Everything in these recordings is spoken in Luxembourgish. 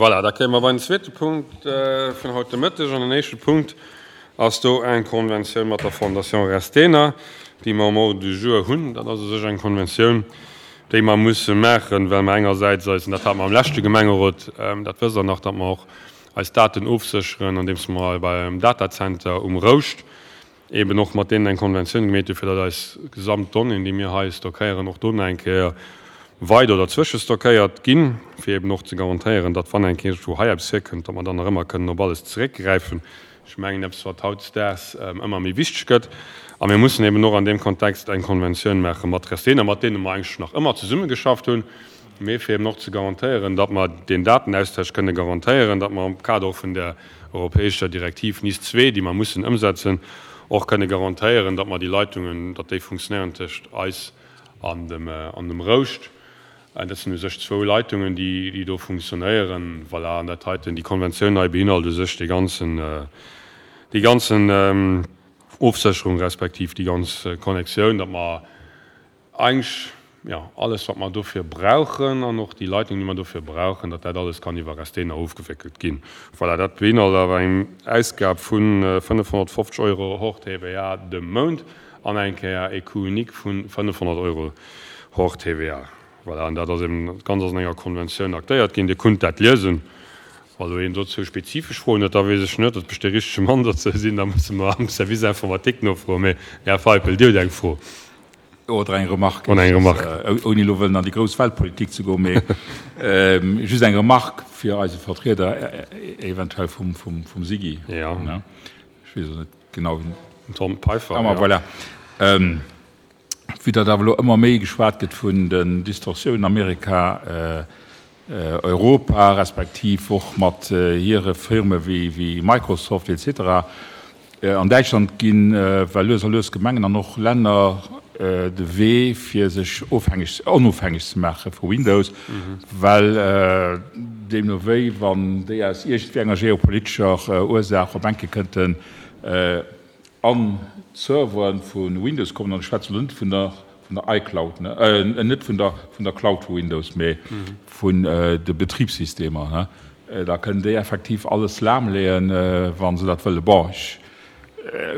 Voilà, da kéime mer bei den zweete Punkt vun haut de Mëtteg. An den éischte Punkt ass do eng Konventioun mat der Fondation Restena, déi mer um Ordre du jour hunn. Dat ass u sech eng Konventioun, déi mer musse maachen, well mer engersäits eis, an dat hate mer am leschte Gemengerot, dat wësst Der nach, datt mer och eis Daten ofsécheren, andeems mer beim Datacenter um Rouscht eben och mat deenen eng Konventioun gemeet hunn, fir datt eis gesamt Donnéeën, déi mir hei stockéieren, och do nach eng Kéier weider oder zwëschestockéiert ginn, fir eben och ze garantéieren, datt wann eng Kéier iergendwou hei eppes virkënnt, datt mer dann nach ëmmer kënnen op alles zeréckgräifen. Ech mengen, eppes, wat hautdesdaags ëmmer méi wichteg gëtt. A mir mussen eben och an deem Kontext eng Konventioun maache mat Restena, mat deene mer eigentlech nach ëmmer zesummegeschafft hunn, mee fir eben och ze garantéieren, datt mer deen Datenaustausch kënne garantéieren, datt mer am Kader och vun där europäescher Direktiv NIS 2, déi mer mussen ëmsetzen, och kënne garantéieren, datt mer déi Leitungen, datt déi funktionéieren tëscht eis an dem, an dem Rouscht. Dat sinn u sech zwou Leitungen, déi, déi do funktionéieren. Voilà, an dat heiten, déi Konventioun hei beinhalt u sech dee ganzen, déi ganzen Ofsécherung respektiv déi ganz Connectioun, datt mer, Eigentlech, jo, alles wat mer dofir brauchen an och déi Leitung, déi mer dofir brauchen, datt dat alles kann iwwer Restena ofgewéckelt ginn. Voilà, dat beinhalt awer eng Ausgab vu 550 Euro hors TVA de Mount an eng Kéier e Coût unique vu 500 Euro hors TVA. Voilà, an dat ass eben, dat Ganzt ass an enger Konventioun aktéiert ginn. Dir kunnt dat liesen. Wa lo een dozou spezifesch Froen huet, da weess ech net, ob ech dee richtege Mann dozou sinn. Da musse mer am Service informatique nofroen. Mee, Här Feipel, Dir hutt eng Fro. Oder eng Remarque. Oder eng Remarque. Ouni elo wëllen an déi grouss Weltpolitik ze goen, mee just eng Remarque fir eise Vertrieder eventuell vum SIGI. Jo. Ech weess elo net genau, wien. Den Tom Peiffer. Ah, ma voilà. Vue datt awer elo ëmmer méi geschwat gëtt vun den Distorsiounen Amerika, Europa, respektiv och mat hire Firme wéi Microsoft et cetera. An Däitschland ginn well lues a lues Gemengen an och Länner de Wee fir sech ofhängeg, onofhängeg ze maache vu Windows, well deemno wéi wann déi aus iergendwéi enger geopolitescher Ursaach op enke kënnten an d'Serveren vu Windows kommen, an ech schwätzen elo net vun der vun der iCloud, ne, net vun der vun der Cloud vu Windows, mee vun de Betribssystemer, ne, da kënnen déi effektiv alles lahmleeën, wa se dat wëllen. Bon, ech,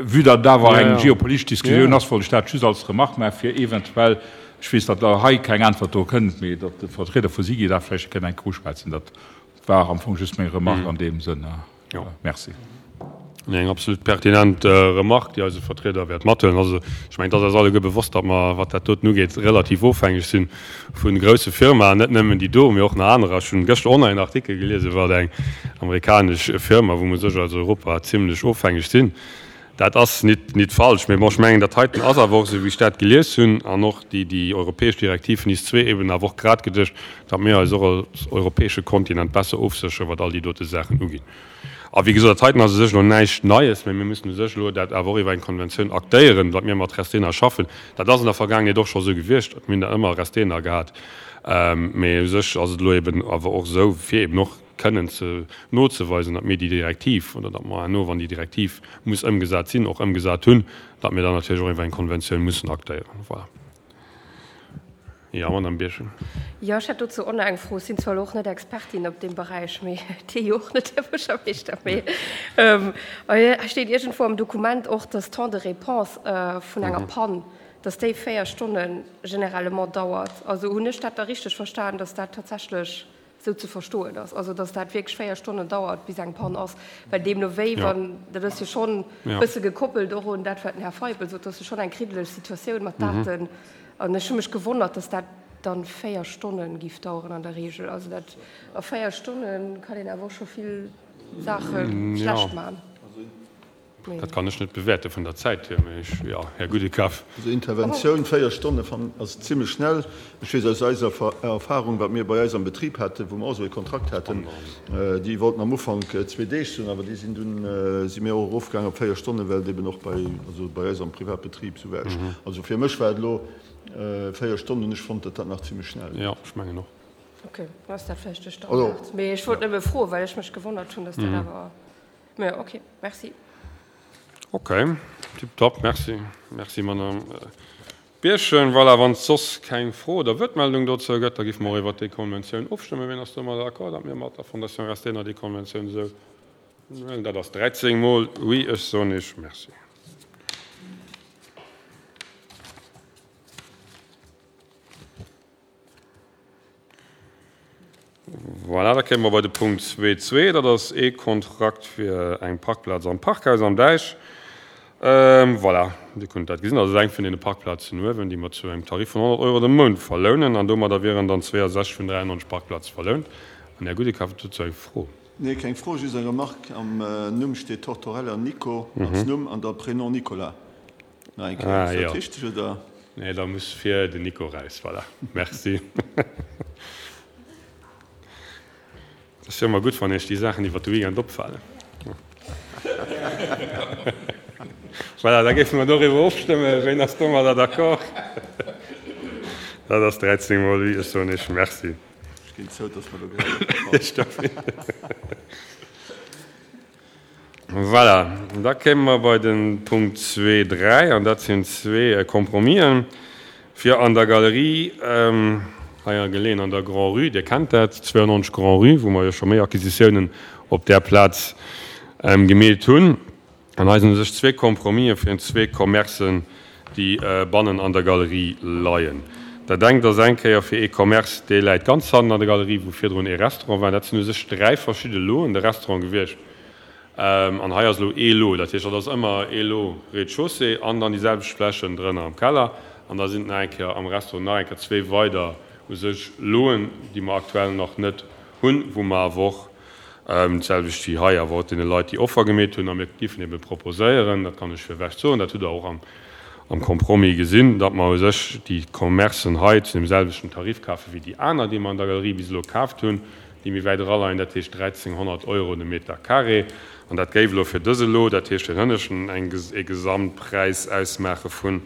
vue datt et awer eng geopolitesch Diskussioun ass, wollt ech dat just als Remarque maachen, fir eventuell, ech weess, datt Der hei keng Äntwert dru kënnt, mee datt de Vertrieder vu SIGI dat vläicht kënnt eng Kéier uschwätzen. Dat war am Fong just meng Remarque an deem Sënn. Jo. Merci. Eng absolut pertinent Remarque, déi eise Vertrieder wäert mathuelen. Also, ech mengen, et ass eis alleguer bewosst, datt mer, wat dat doten ugeet, relativ ofhängeg si vu grousse Firmaen, net nëmmen déi do, mee och nach anerer. Ech hunn gëschter och nach een Artikel gelies iwwer eng amerikanesch Firma, wou mer u sech als Europa zimlech ofhängeg sinn. Dat ass nit, nit falsch, mee bon, ech mengen, dat heiten ass awer och, esou wéi ech dat gelies hunn, an och déi, déi europäesch Direktiv NIS 2 eben awer och grad geduecht, datt mir eis och als europäesche Kontinent besser ofsécheren, wat all déi dote Saachen uginn. A wéi gesot, dat heiten ass u sech elo näischt Neies, mä mir müssen u sech elo dat awer och iwwer eng Konventioun aktéieren, datt mir mat Restena schaffen. Dat ass an der Vergaangenheet och scho esou gewiescht, mir hunn da ëmmer Restena gehat, mä u sech ass et elo eben awer och esou, fir eben och kënnen ze nozeweisen, datt mir déi Direktiv oder datt mer herno, wann déi Direktiv muss ëmgesat sinn, och ëmgesat hunn, datt mir dann natierlech och iwwer eng Konventioun mussen aktéieren. Voilà. Jo, Madame Birchen. Jo, ech hätt dozou och nach eng Fro. Ech sinn zwar elo och net Expertin op deem Beräich, mee Dir jo och net, Här Buergermeeschter, mee hei steet iergendwou am Dokument och, dass d'Temps de réponse vun enger Pann, dass déi 4 Stonne généralement dauert. Also hunn ech dat da richteg verstan, dass dat tatsächlech esou ze verstoen ass, also dass dat wierklech 4 Stonnen dauert, bis eng Pann ass, well deemno wéi wann, dat ass jo schonn e bësse gekoppelt och un dat, wat den Här Feipel sot, dat ass jo schonn eng kriddeleg Situatioun mat Daten. An ech hu mech gewonnert, dass dat dann 4 Stonnen giff daueren an der Regel. Also dat, a 4 Stonnen kann een awer och scho vill Saache schlecht maachen. Dat kann ech net bewäerte vun der Zäit hier, mä ech, jo, Här Gudekaf. Also Interventioun, 4 Stonne fannen ass zimlech schnell. Ech weess aus eiser Erfahrung, wat mir bei eis am Betrib haten, wou mer och esou ee Kontrakt haten, déi wollten am Ufank zwee Deeg soen, awer déi sinn dunn, si mir och erofgaangen op 4 Stonnen, well et eben och bei, also bei eis am Privatbetrib esou war. Ech, also fir mech war et elo 4 Stonnen, hunn ech fonnt, datt dat nach zimlech schnell. Jo, ech mengen och. Ok, dann ass dat vläicht de Standard. Mee ech wollt nëmme froen, well ech mech gewonnert hunn, datt dat awer, mä ok, merci. Ok, tiptop, merci. Merci, Madame. Bierchem. Voilà, wann et soss keng Fro oder Wuertmeldung dozou gëtt, da géife mer och iwwert déi Konventioun ofstëmmen. Wien ass domadder d'accord, datt mir mat der Fondation Restena déi Konventioun esou huelen? Dat ass 13 mol Oui. Ech soen Iech Merci. Voilà, da kéime mer bei de Punkt 2.2. Dat ass ee Kontrakt fir eng Parkplaz am Parkhaus am Däich. Voilà, Dir kënnt dat gesinn. Dat ass eng vun deene Parkplazen uewen, déi mer zu engem Tarif vun 100 Euro de Mount verlounen. An domadder wieren dann 62 vun 93 Parkplaze verlount. An Här Goudecap huet dozou eng Fro. Nee, keng Fro, just eng Remarque, Am Numm steet Tortorella Nico als Numm an da Prénom Nicolas. Nach eng Kéier, ass dat richteg, oder? Nee, da muss vir den Nico raus. Voilà, merci. Ass jo ëmmer gutt, wann Iech déi Saachen iwwer de Weekend opfalen. Voilà, da géife mer doriwwer ofstëmmen. Ween ass domadder d'accord? Dat ass 13 mol oui. Ech soen Iech Merci. Ech ginn zou, dass mer do grad. Voilà, da kéime mer bei de Punkt zwee, dräi, an dat sinn zwee Compromisen, fir an der Galerie, hei geleeën an der Grand-Rue, Dir kennt dat, 92 Grand-Rue, wou mer jo scho méi Acquisitiounen op där Plaz gemeet hunn. An hei sinn u sech zwee Compromisen fir zwee Commercen, déi bannen an der Galerie leien. Dat engt ass eng Kéier fir ee Commerce, dee läit ganz hannen an der Galerie, wou virdrun ee Restaurant war. Dat sinn u sech dräi verschidde Loen, de Restaurant gewiescht an hei ass elo ee Lot. Dat heescht, dat ass ëmmer ee Lot Rez-de-chaussée an dann déi selwecht Flächen drënner am Keller. An da sinn et nach eng Kéier am Restaurant nach eng Kéier zwee weider u sech Loen, déi mer aktuell nach net hunn, wou mer awer och D'selwecht wéi hei awer och deene Leit, déi Offer gemeet hunn. A mir géifen ebe proposéieren, dat kann ech virwech soen, dat hutt Der och am Compromis gesinn, datt mer u sech déi Commercen hei zu deem selwechten Tarif kafe wéi déi aner, déi mer an der Galerie bis elo kaaft hunn, déi méi wäit eraleien, dat heescht 1.300 Euro de Meter carré. An dat géif elo fir dëse Lot, dat heescht deen hënneschten, e Gesamtpräis ausmaache vun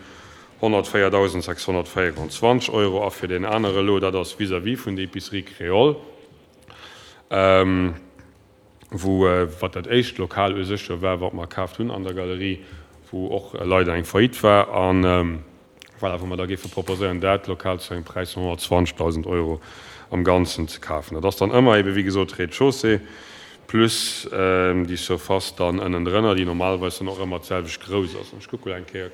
104.624 Euro. A fir deen anere Lot, dat ass vis-à-vis vun der Épicerie Créole, wou, wat dat éischt Lokal u sech jo war, wat mer kaaft hunn an der Galerie, wou och leider eng Faillite war, a voilà, wou mer da géife proposéieren, dat Lokal zu engem Präis vun 120.000 Euro am Ganzen ze kafen. Dat ass dann ëmmer ebe wéi gesot Rez-de-chaussée plus déi Surface dann ënnendrënner, déi normalerweis dann och ëmmer d'selwecht grouss ass. An ech kucke elo eng Kéier,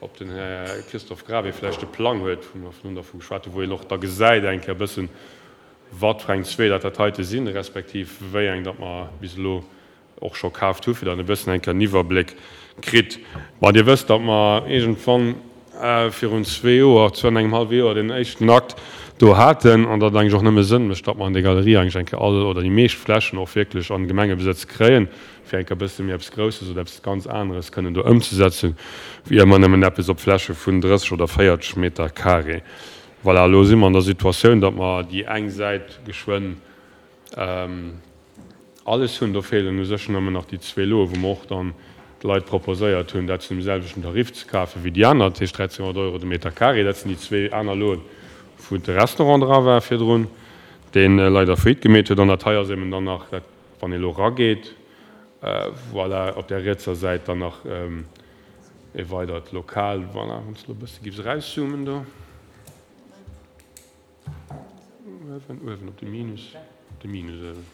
ob den Här Christophe Gravé vläicht de Plang huet, wou mer virun dervu geschwat hunn, wou een och da gesäit eng Kéier e bëssen, wat fir eng zwee dat dat heite sinn, respektiv wéi eng dat mer bis elo och scho kaaft hu fir datt een e bëssen eng Kéier en Iwwerbléck kritt. Bon, Dir wësst, datt mer iergendwann virun zwee Joer, zwee an engem hallwe Joer deen éischten Akt do haten an datt et eigentlech och nëmme Sënn mécht, datt mer an där Galerie eigentlech eng Kéier all oder déi meescht Flächen och wierklech an Gemengebesëtz kréien, fir eng Kéier e bësse méi eppes Grousses oder eppes ganz aneres kënnen do ëmzesetzen, wéi ëmmer nëmmen eppes op Fläche vun 30 oder 40 Meter carré. Voilà, elo si mer an der Situatioun, datt mer déi eng Säit geschwënn alles hunn. Do feelen u sech nëmmen nach déi zwee Loe wou mer och dann de Leit proposéiert hunn, dat zu dem selwechten Tarif ze kafe wéi déi aner, dat heescht 1.300 Euro de Meter carré. Dat sinn déi zwee aner Loen, wou de Restaurant dra war virdrun, dee leider Faillite gemeet huet. An dat hei ass eben dann nach dat, wann ee elo erageet, voilà, op där rietser Säit dann nach E weidert Lokal, voilà, wann s de elo e bësse giffs erauszoomen do. Uewen, uewen op de Minus, op de Minus uewen.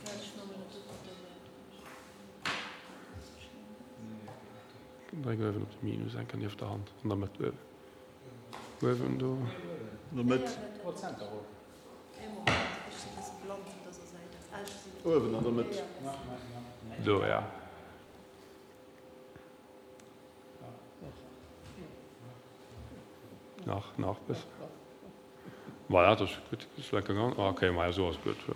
Dréck uewen op de Minus, enker nieft der Hand, an der Mëtt uewen. Uewen do. An der Mëtt. Uewen an der Mëtt. Do, ja. Nach, nach bëssen. Voilà, dat ass gutt. Ass lecker gaangen. Ah, okay, maja, esou ass et gutt, jo.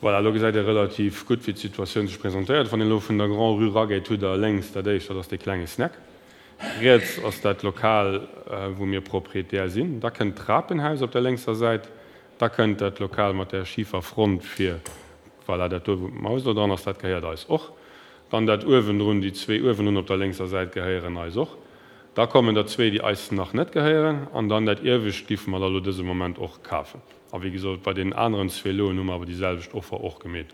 Voilà, elo gesäit ee relativ gutt, wéi d'Situatioun sech presentéiert. Wann een elo vun der Grand-Rue erageet, hutt Der lénks dat éischt, dat ass dee klenge Snack. Riets ass dat Lokal, wou mir Proprietär sinn. Da kënnt d'Trapenhaus op der lénkser Säit. Da kënnt dat Lokal mat där schifer Front vir. Voilà, dat do, wou d'Maus elo dran ass, dat gehéiert eis och. Dann dat uewendrun, déi zwee uewendrun op der lénkser Säit gehéieren eis och. Da kommen der zwee, déi eis nach net gehéieren. An dann dat iewescht giffe mer da lo dëse Moment och kafen. A wéi gesot, bei deenen aneren zwee Loen hu mer awer déi selwecht Offer och gemeet.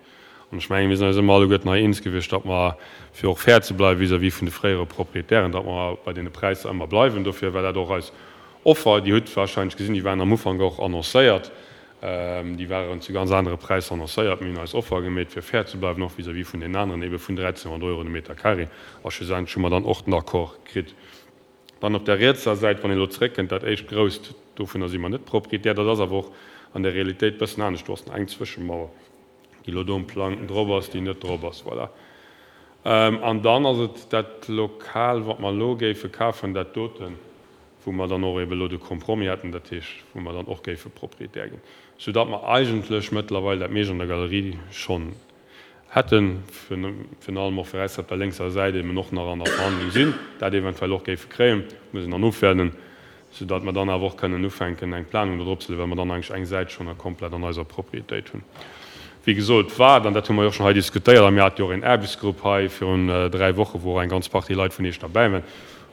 An ech mengen, mir sinn eis ëmmer alleguerten hei eens gewiescht, datt mer, fir och fair ze bleiwe vis-à-vis vun de fréiere Proprietären, datt mer bei deene Präisser ëmmer bleiwen. Dofir war dat och eis Offer. Dir hutt wahrscheinlech gesinn, déi waren am Ufank och annoncéiert. Déi waren zu ganz anere Präisser annoncéiert. Mir hunn eis Offer gemeet, fir fair ze bleiwen, och vis-à-vis vun deenen aneren, ebe vun 1.300 Euro de Meter carré. A schlussendlech hu mer dann och den Accord kritt. Dann op der rietser Säit, wann een elo zeréckkënnt, dat éischt grousst, dovunner si mer net Proprietär. Dat ass awer och an der Realitéit e bëssen anescht. Do ass nach eng Zwëschemauer, déi elo do um Plang drop ass, déi net drop ass. Voilà. An dann ass et dat Lokal, wat mer elo géife kafen, dat doten, wou mer dann och ebe elo de Compromis hätten, dat heescht, wou mer dann och géife Proprietär ginn, soudatt mer eigentlech mëttlerweil dat meescht an der Galerie schonn hätten, virun allem och fir eis op der lénkser Säit eben och nach an der Verhandlung sinn, dat eventuell och géife kréien, muss een dann ofwäerden, soudatt mer dann awer och kënnen ufänken eng Planung do drop ze leeën, well mer dann eigentlech eng Säit schonn komplett an eiser Propriétéit hunn. Wéi gesot, wat, an dat hu mer jo och schonn hei diskutéiert, a mir hate jo och een Aarbechtsgrupp hei virun 3 Woche wou och eng ganz Partie Leit vun Iech derbäi waren,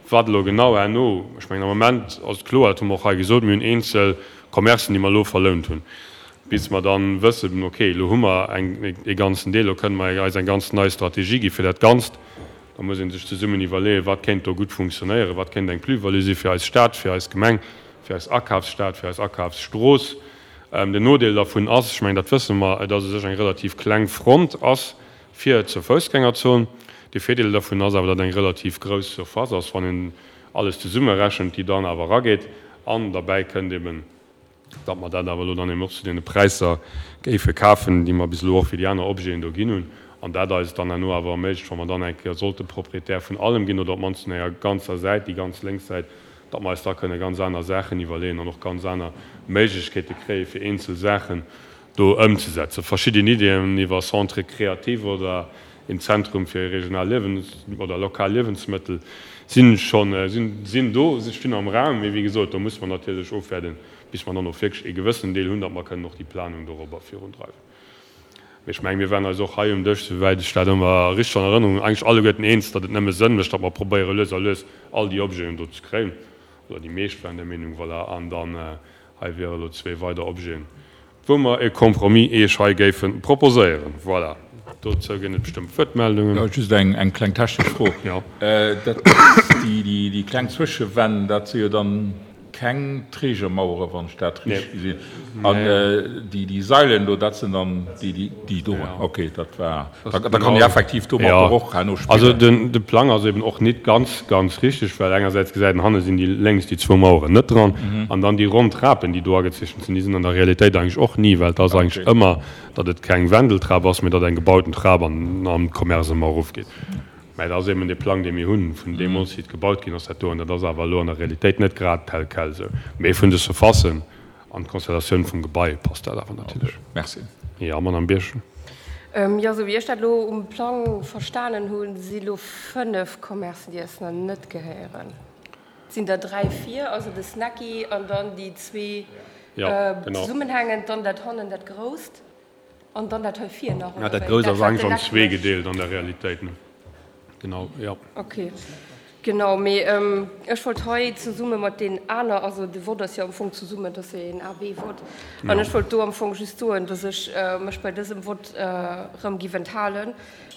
wat elo genau herno, ech mengen am Moment ass et kloer, dat hu mer och hei gesot, mir hunn eenzel Commercen, déi mer elo verlount hunn, bis mer dann wëssen, okay, elo hu mer eng, ee ganzen Deel, elo kënnen mer eis eng ganz nei Strategie gi fir dat Ganzt. Da muss ee sech zesummen iwwerleeën, wat kéint do gutt funktionéieren, wat kéint eng Plus-value si fir eis Stad, fir eis Gemeng, fir eis Akafsstad, fir eis Akafsstrooss. Den Nodeel dervun ass, ech mengen, dat wësse mer, dass u sech eng relativ kleng Front ass fir zur Foussgängerzon. De Virdeel dervun ass awer, datt eng relativ grouss Surface ass, wann een alles zesummerechent, déi dann awer erageet. An derbäi kënnt eben, datt mer dat awer elo dann eben och zu deene Präisser géife kafen, déi mer bis elo och fir déi aner Objeten do ginn hunn, an dat eis dann herno awer erméiglecht, wa mer dann eng Kéier sollte Proprietär vun allem ginn oder op d'mannst vun enger ganzer Säit, déi ganz lénks Säit, datt mer eis da kënne ganz aner Saachen iwwerleeën an och ganz aner Méiglechkeete kréie fir eenzel Saachen do ëmzesetzen. Verschidden Iddien iwwer Centre créatif oder een Zentrum fir regional Liewens oder lokal Liewensmëttel sinn schonn, sinn do, si stinn am Raum. Mee wéi gesot, do musse mer natierlech ofwäerden, bis mer dann och wierklech ee gewëssenen Deel hunn, datt mer kënnen och déi Planung dorobber virundreiwen. Mee ech mengen, mir waren eis och hei um Dësch, souwäit ech dat ëmmer richteg an Erënnerung hunn, eigentlech alleguerten eens, datt et nëmme Sënn mécht, datt mer probéiere lues a lues all déi Objeten do ze kréien, oder déi meescht waren der Meenung, voilà, an dann hei wiere elo zwee weider Objeten. Wou mer e Compromis Iech hei géife proposéieren. Voilà. Dozou ginn et bestëmmt Wuertmeldungen. Jo, just eng kleng technesch Fro. Jo. Dat, déi kleng Zwëschewänn, dat si jo dann keng Trägermauere, wann ech dat richteg gesinn hunn. An déi Sailen do, dat sinn dann déi do. Okay, dat war. Da kann ee effektiv domatter och herno spillen. Also de Plang ass eben och nit ganz, ganz richteg, well engersäits gesäit een, hanne sinn déi lénks déi zwou Maueren net dran an dann déi ronn Trapen, déi do agezeechent sinn, déi sinn an der Realitéit eigentlech och ni, well et ass eigentlech ëmmer, datt et keng Wendeltrap ass, mee datt eng gebauten Trap an am Commerce ëmmer erofgeet. Mä et ass eben dee Plang, dee mir hunn, vun deemools, wéi et gebaut ginn ass, dat do, an dat ass awer elo an der Realitéit net grad tel quel esou. Mee vun de Surfacen An d'Konstellatioun vum Gebai passt dat awer natierlech. Merci. Jo, Madamm Birchen. Jo, esou wéi ech dat elo um Plang verstanen hunn, si elo 5 Commercen, déi eis nach net gehéieren. Et sinn der 3 vir, also de Snacky an dann déi zwee zesummenhängend, dann dat hannen, dat grousst. An dann dat hei vir nach, oder? Dat Grousst ass eigentlech an zwee gedeelt an der Realitéit, ne? Genau, jo. Okay, genau. Mee ech wollt hei zesumme mat deenen aner, also de Vott ass jo am Fong zesummen, dat ass jo een A-B-Vott, an ech wollt do am Fong just soen, dass ech mech bei dësem Vott erëm giff enthalen,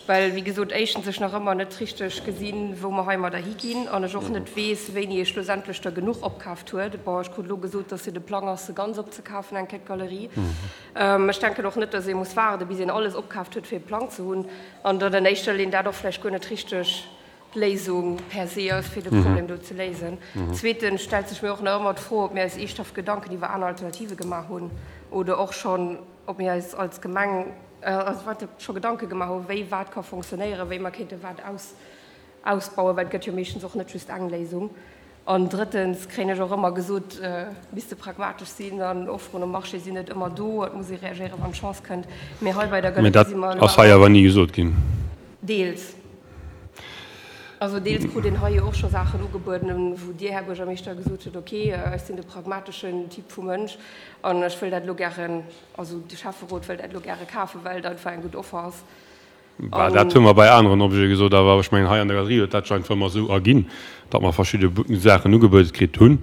well, wéi gesot, éischtens ech nach ëmmer net richteg gesinn, wou mer heimadder higinn, an ech och net weess, wéini ee schlussendlech der genuch opkaaft huet. Bon, ech krut elo gesot, dass jo de Plang ass, se ganz opzekafen, eng Kéier d'Galerie. Ech denken och net, dass ee muss waarden, bis een alles opkaaft huet, fir e Plang ze hunn, an datt an éischter Linn dat och vläicht guer net richteg d'Léisung per se ass, fir de Problem do ze léisen. Zweetens stellt sech mir och nach ëmmer d'Fro, ob mir eis eeschthaft Gedanken iwwer aner Alternative gemaach hunn oder och schonn, ob mir eis als Gemeng scho Gedanke gemaach hunn, wéi wat ka fonctionnéieren, wéi mer kéinte wat aus. Ausbauen, well et gëtt jo meeschtens och net just eng Léisung. An drëttens kréien ech och ëmmer gesot, et misste pragmatesch sinn an Offeren um Marché sinn net ëmmer do, et muss ee reagéieren, wann d'Chance kënnt. Mee hei bei der Mee dat Galerie si mer elo ass hei awer ni gesot ginn. Deels. Also deels krut een hei jo och scho Saachen ugebueden, wou Dir, Här Buergermeeschter, gesot hutt, okay, ech sinn de pragmateschen Typ vu Mënsch an ech wëll dat elo gären, also de Schäfferot wëll dat elo gäre kafen, well et einfach eng gutt Offer ass. Bah, dat hu mer bei aneren Objete gesot, awer ech mengen, hei an der Galerie huet dat sech einfach ëmmer esou erginn, datt mer verschidde Saachen ugebuede kritt hunn.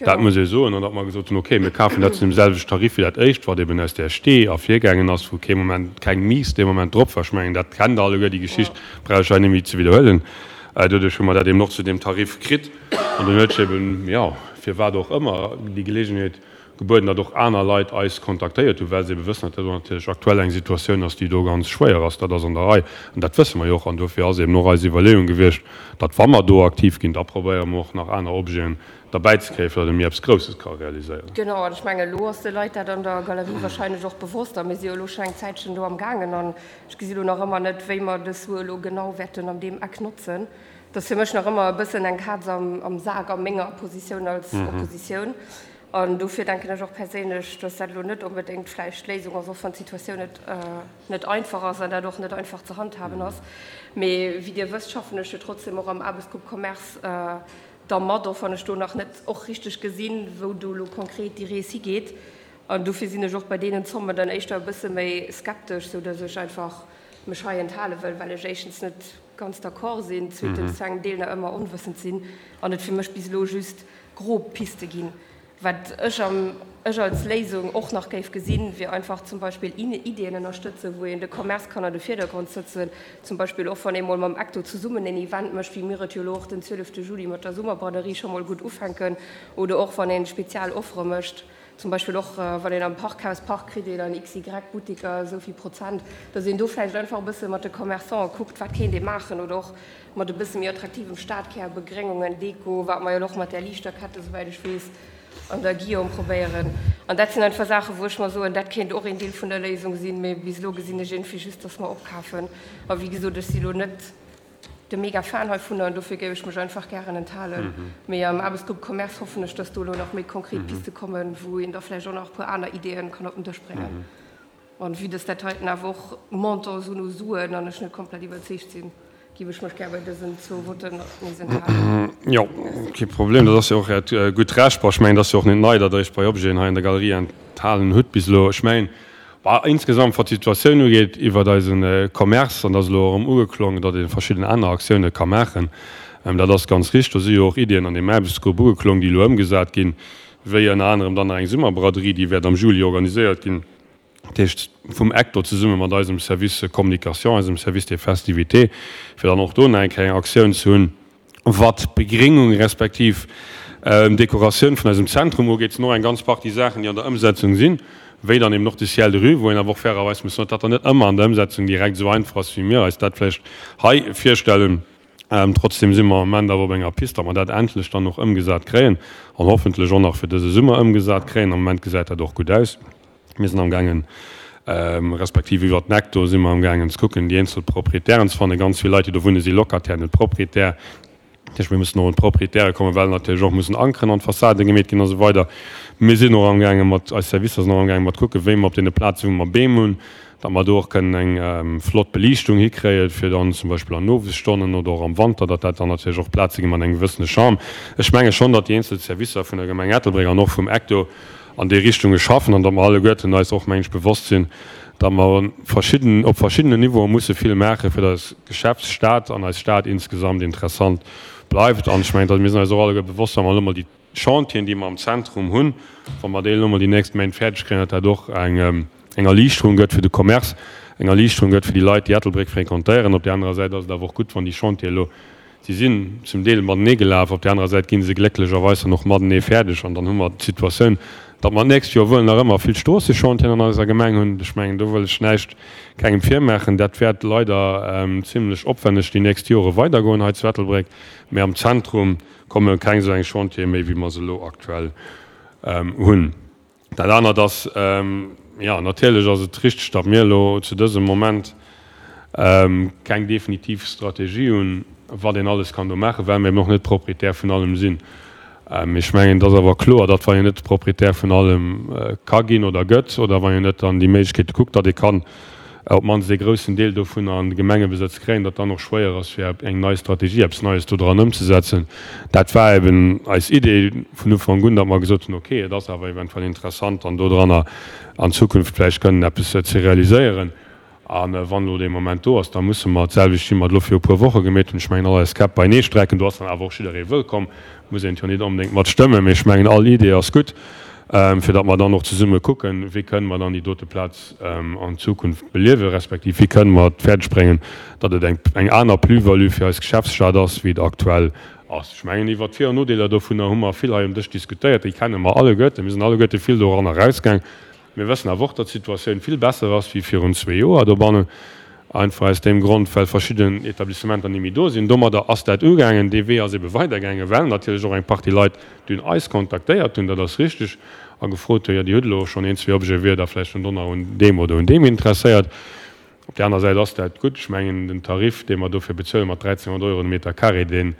Dat muss ee soen. An datt mer gesot hunn, okay, mir kafen dat zu deem selwechten Tarif wéi dat éischt, wat eben aus där Stee ervirgaangen ass, wou kee Moment, keng Mise dee Moment drop war. Ech mengen, dat kennt Der alleguer, déi Geschicht, brauch ech hei net méi ze widderhuelen. Doduerch hu mer dat eben och zu deem Tarif kritt. An dunn huet sech eben, jo, firwat och ëmmer, déi Geleegenheet gebueden, datt och aner Leit eis kontaktéiert hunn, well se ebe wëssen, datt dat do natierlech aktuell eng Situatioun ass, déi do ganz schwéier ass. Dat ass an der Rei an dat wësse mer jo och. An dofir ass eben och eis Iwwerleeung gewiescht, datt wa mer do aktiv ginn, da probéiere mer och nach aner Objeten derbäi ze kréien, fir datt e méi eppes Grousses ka realiséieren. Genau, an ech mengen, elo ass de Leit dat an der Galerie wahrscheinlech och bewosst a mir si jo elo schonn eng Zäitchen do am gaangen an ech gesi lo nach ëmmer net, wéi mer dës Sue elo genau wäerten an deem Eck notzen. Dat ass fir mech nach ëmmer e bëssen eng Kaz am Sak a menger Positioun als Oppositioun. An dofir denken ech och perséinlech, datt dat elo net onbedéngt vläicht d'Léisung ass, och wann d'Situatioun net net einfach ass an dat och net einfach ze handhaben ass. Mee wéi Dir wësst, schaffen ech jo trotzdem och am Aarbechtsgrupp Commerce da mat, och wann ech do nach net och richteg gesinn, wou do elo konkret déi Rees higeet. An dofir sinn ech och bei deenen Zommen dann éischter e bësse méi skeptesch, sou datt ech einfach mech hei enthale wëll, well ech éischtens net ganz d'accord sinn, zweetens zu engem Deel nach ëmmer onwëssend sinn an et fir mech bis elo just grob Piste ginn. Wat ech am ech als Léisung och nach géif gesinn, wier einfach zum Beispill Iddien ënnerstëtzen, wou een de Commerce kann an de Virdergrond sëtzen. Zum Beispill och wann ee mol mam Ecto zesummen en Event mécht, wéi mir et jo elo och den 12 Juli mat der Summerbraderie scho mol gutt ufänken. Oder och wann ee spezial Offere mécht, zum Beispill och wann een am Parkhaus Park kritt een an XY Buttiker esou vill Prozent, datt een do vläicht einfach e bësse mat de Commerçanten kuckt, wat kéint ee maachen. Oder och mat e bësse méi attraktivem Stadkär, Begréngungen, Deko, wat mer jo elo och mat där Liichterkette, souwäit ech weess, an der Guillaume probéieren. An dat sinn einfach Saachen, wou ech mer soen, dat kéint och een Deel vun der Léisung sinn. Mee bis elo gesinn ech iergendwéi just, dass mer opkafen. A wéi gesot, ech si elo net de Mega-Fan heivunner an dofir géif ech mech einfach gären enthalen. Mee am Aarbechtsgrupp Commerce hoffen ech, dass do elo nach méi konkret Piste kommen, wou een da vläicht och nach e puer aner Ideeën kann op den Dësch bréngen. An vue dass dat heiten awer och Montant sinn u Suen an ech net komplett iwwerzeegt sinn, géif ech mech gär bei dësen zwou Votten nees enthalen. Jo, kee Problem, dat ass jo och Äert gutt Recht. Bon, ech mengen, et ass jo och net nei, datt Der Iech bei Objeten hei an der Galerie enthalen hutt bis elo. Ech mengen, bon, insgesamt, wat d'Situatioun ugeet iwwert eise Commerce, an dat ass elo erëm ugeklongen, datt ee verschidden aner Aktioune ka maachen, dat ass ganz richteg. Do si jo och Iddien an deem Aarbechtsgrupp ugeklong, déi elo ëmgesat ginn, wéi ënner anerem dann nach eng Summerbraderie, déi wäert am Juli organiséiert ginn. dat heescht vum Ecto zesumme mat eisem Service Communication, eisem Service des Festivités, fir dann och do nach eng kleng Aktioun ze hunn. Wat d'Begréngung respektiv d'Dekoratioun vun eisem Zentrum ugeet, sinn och eng ganz Partie Saachen, déi an der Ëmsetzung sinn, wéi dann eben och de Ciel de rue, wou een awer och fairerweis muss soen, datt dat dann net ëmmer an der Ëmsetzung direkt esou einfach ass, wéi mir eis dat vläicht hei virstellen. Trotzdem si mer am Moment awer op enger Pist, datt mer dat endlech dann och ëmgesat kréien an hoffentlech och nach fir dëse Summer ëmgesat kréien. Am Moment gesäit dat och gutt aus. Mir sinn amgaangen, respektiv iwwert den Ecto si mer amgaangen ze kucken, déi eenzel Proprietären ze fannen. Ganz vill Leit, déi do wunnen, si Locataire, net Proprietär. Dat heescht, mir mussen och un d'Proprietäre kommen, well natierlech och mussen Ankeren an d'Fassaden gemeet ginn a sou weider. Mir sinn och amgaange mat, eis Servicer sinn och amgaange mat kucken, wéi mer op deene Plazen, wou mer Beem hunn, datt mer do och kënnen eng flott Beliichtung hikréien, fir dann zum Beispill an Owesstonnen oder och am Wanter, datt dat dann natierlech och Plaze gi mat engem gewëssene Charme. Ech menge schonn, datt déi eenzel Servicer vun der Gemeng Ettelbréck an och vum ECTO an déi Richtunge schaffen an datt mer alleguerten eis och, meng ech, bewosst sinn, datt mer verschidden, op verschiddenen Niveaue musse vill maachen, fir datt eis Geschäftsstad an eis Stad insgesamt interessant bleift. An ech mengen, datt mir sinn eis och alleguer bewosst, wa mer elo mol déi Chantieren, déi mer am Zentrum hunn, wa mer déi elo mol déi nächst Méint fäerdeg kréien, datt dat och eng eng Erliichterung gëtt fir de Commerce, eng Erliichterung gëtt fir déi Leit, déi Ettelbréck fréquentéieren. Op där anerer Säit ass et awer och gutt, wann déi Chantiere elo, si sinn zum Deel matenee gelaf, op där anerer Säit gi se glécklecherweis dann och matenee fäerdeg an dann hu mer d'Situatioun, datt mer d'nächst Joer wuel nach ëmmer vill Stroossechantieren an eiser Gemeng hunn. Ech mengen, do wëll ech näischt kengem virmaachen. Dat wäert leider zimlech opwänneg déi nächst Jore weidergoen hei zu Ettelbréck, mä am Zentrum komme keng esou eng Chantiere méi, wéi mer se elo aktuell hunn. Dat anert ass, jo, natierlech ass et richteg, datt mir elo zu dësem Moment keng definitiv Strategie hunn, wat een alles kann do maachen, well mir eben och net Proprietär vun allem sinn. Mee ech mengen, et ass awer kloer, datt wann een net Proprietär vun allem ka ginn oder gëtt oder wann een net an déi Méiglechkeete kuckt, datt ee kann op d'mannst ee groussen Deel dovunner an de Gemengebesëtz kréien, datt dann och schwéier ass fir eng nei Strategie, eppes Neies do dran ëmzesetzen. Dat war eben eis Idee vun Ufank un, datt mer gesot hunn, okay, et ass awer eventuell interessant dann do dranner an Zukunft vläicht kënnen eppes ze realiséieren. A wann elo dee Moment do ass, da musse mer d'selwecht, wéi mer et elo viru e puer Woche gemeet hunn, ech mengen, all eis Käpp beienee strecken. Do ass dann awer och jidderee wëllkomm, muss een et jo net onbedéngt mat stëmmen, mee ech mengen, all Idee ass gutt, fir datt mer dann och zesumme kucken, wéi kënnen mer dann déi dote Plaz an Zukunft beliewen, respektiv wéi kënnen mer et fäerdeg bréngen, datt et eng eng aner Plus-value fir eis Geschäftsstad ass, wéi et aktuell ass. Ech mengen, iwwert d'Vir an Nodeeler dovunner hu mer vill hei um Dësch diskutéiert, déi kenne mer alleguerten, mir sinn alleguerte vill doranner erausgaang. Mir wëssen awer och, datt d'Situatioun vill besser ass wéi virun zwee Joer dobannen, einfach aus deem Grond, well verschidden Etablissementer ni méi do sinn. Domadder ass dat ugaangen. Dee Wee ass ebe weidergaangen, well natierlech och eng Partie Leit dunn eis kontaktéiert hunn, dat ass richtig, a gefrot hunn, jo Dir hutt elo schonn een, zwee Objete, wier Der vläicht un donner un deem oder un deem interesséiert? Op där aner Säit ass dat gutt. Ech mengen, den Tarif, dee mer dofir bezuelen, mat 1.300 Euro de Meter carré, deen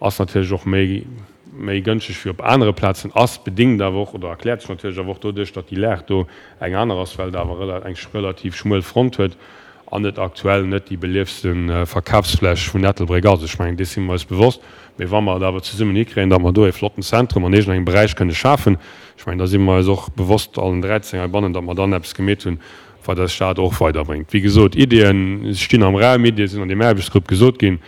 ass natierlech och méi, méi gënschteg wéi op anere Plazen, ass bedingt awer och, oder erkläert sech natierlech awer och doduerch, datt déi Lag do eng aner ass, well et awer eng relativ schmuel Front huet an et aktuell net déi beliefste Verkafsfläch vun Ettelbréck ass. Ech mengen, dees si mer eis bewosst. Mee wa mer et awer zesummen hikréien, datt mer do e flotten Zentrum an iergendengem Beräich kënne schafen, ech mengen, da si mer eis och bewosst, allen 13 heibannen, datt mer dann eppes gemeet hunn, wat eis Stad och weiderbréngt. Wéi gesot, Iddien stinn am Raum, Iddie sinn an deem Aarbechtsgrupp gesot ginn.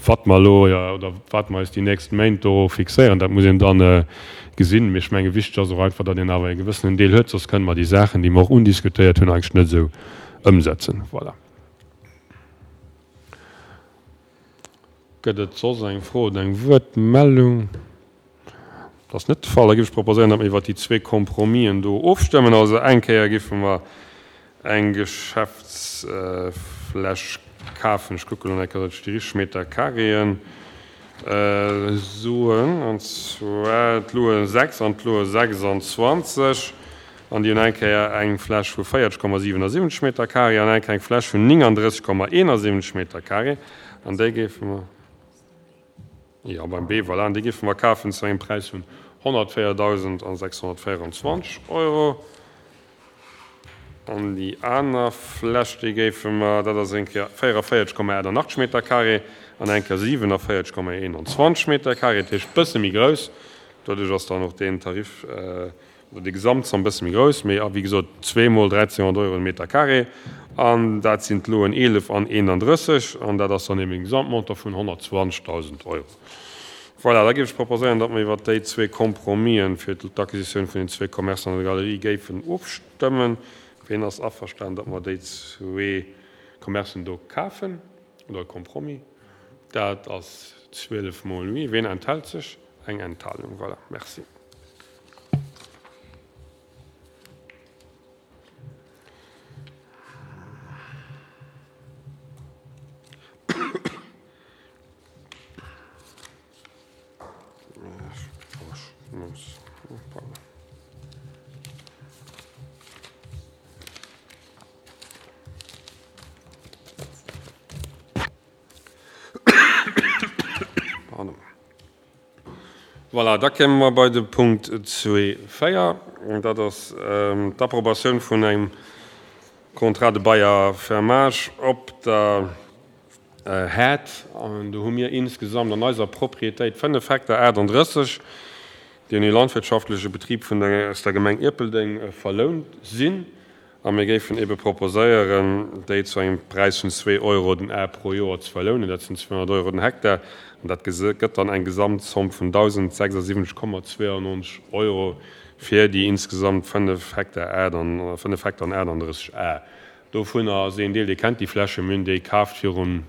Wat mer elo oder wat mer eis déi nächst Méint do fixéieren, dat muss een da gesinn. Mee ech menge wichteg ass och einfach, datt een awer e gewëssenen Deel huet, soss kënne mer déi Saachen, déi mer och undiskutéiert hunn, eigentlech net esou ëmsetzen. Voilà. Gëtt et soss eng Fro oder eng Wuertmeldung? Dat ass net de Fall. Da géif ech proposéieren, datt mer iwwert déi zwee Compromisen do ofstëmmen. Also eng Kéier géife mer eng Geschäftsfläch kafen. Ech kucke lo nach eng Kéier, datt ech déi richteg Metercarréen soen, an zwar d'Loe 6 an d'Loe 26. An déi hunn eng Kéier eng Fläch vu 40,77 Metercarré an eng Kéier eng Fläch vun 39,71 Metercarré. An déi géife mer, jo, beim B, voilà, an déi géife mer kafen zu engem Präis vun 104.624 Euro. An déi aner Fläch, déi géife mer, dat ass eng Kéier 44,88 Metercarré an eng Kéier 47,21 Metercarré, dat heescht e bësse méi grouss. Doduerch ass dann och deen Tarif, Oder déi Gesamtzomm e bësse méi grouss, mee wéi gesot zweemol 1.300 Euro de Meter carré. An dat sinn d'Loen 11 an 31, an dat ass dann eben e Gesamtmontant vun 120.000 Euro. Voilà, da géif ech proposéieren, datt mer iwwert déi zwee Compromisen fir d'Acquisitioun vun den zwee Commercen an der Galerie géifen ofstëmmen. Ween ass averstanen, datt mer déi zwee Commercen do kafen, oder e Compromis? Dat ass 12 mol oui. Ween enthält sech? Eng Enthalung. Voilà, merci. Voilà, da kéime mer bei de Punkt zwee 4, dat ass d'Approbatioun vun engem Contrat de bail à fermage op der Haard. An do hu mir insgesamt an eiser Propriétéit 5 Hektar 38, déi un ee landwirtschaftleche Betrib vun der, aus der Gemeng Ierpeldeng verlount sinn. A mir géifen eebe proposéieren, déi zu engem Präis vun zwee Euro den Ar pro Joer ze verlounen. Dat sinn 200 Euro den Hektar. An dat gëtt dann eng Gesamtzomm vun 1.076,92 Euro fir déi insgesamt 5 Hektar 5 Hektar an 38 Ar. Dovunner ass een Deel, Dir kennt déi Fläche, mir hunn déi kaaft virun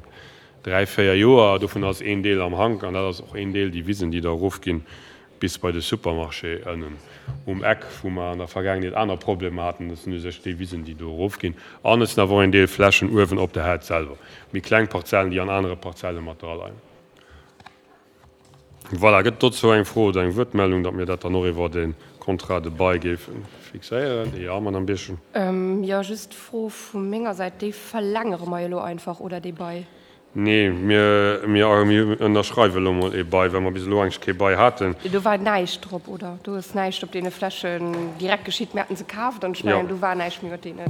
dräi, véier Joer, dovunner ass een Deel am Hank an dat ass och een Deel déi Wisen, déi da erofginn bis bei de Supermarché ënnen um Eck, wou mer an der Vergaangenheet aner Problemer haten. Dat sinn u sech déi Wisen, déi do erofginn. An et sinn awer och een Deel Flächen uewen op der Haard selwer, méi kleng Parzellen, déi an anere Parzelle mat draleien. Voilà, gëtt dozou eng Fro oder eng Wuertmeldung, datt mir dat dann och iwwer e Contrat de bail géife fixéieren? Jo, Madame Birchen. Jo, just d'Fro vu menger Säit, Déi verlängere mer jo elo einfach, oder, dee Bail? Nee, mir, mir, mir ënnerschreiwe elo mol ee Bail, well mer bis elo eigentlech kee Bail haten. Do war näischt drop, oder? Do ass näischt op deene Flächen direkt geschitt. Mir haten se kaaft an ech mengen, do war näischt méi mat deene.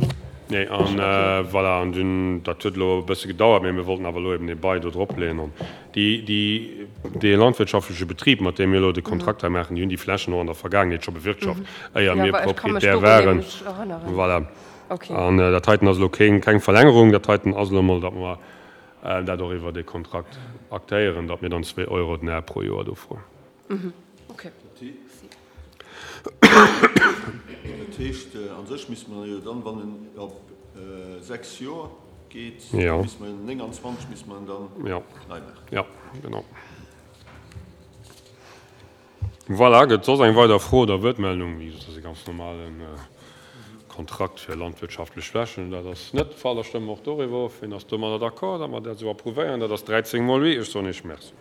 Nee, an voilà, an dunn, dat huet elo e bësse gedauert, mee mir wollten awer elo eben ee Bail do drop leeën. An déi, déi, dee landwirtschaftleche Betrib, mat deem mir elo de Kontrakt hei maachen, déi hunn déi Flächen och an der Vergaangenheet scho bewirtschaft, éier mir Proprietär waren. Voilà. An dat heiten ass elo keng Verlängerung, dat heiten ass elo emol, datt mer dat och iwwer dee Kontrakt aktéieren, datt mir dann zwee Euro den Ar pro Joer do froen. Dat heescht, a sech misste mer jo dann, wann en op 6 Joer geet, misste mer 29 misste mer en dann nei maachen. Jo, genau. Voilà, gëtt soss eng weider Fro oder Wuertmeldung? Wéi gesot, dat ass e ganz normale Kontrakt fir landwirtschaftlech Flächen. Dat ass net de Fall. Da stëmme mer och doriwwer of. Wien ass domadder d'accord, datt mer dat esou approuvéieren? Dat ass 13 mol oui. Ech soen Iech Merci.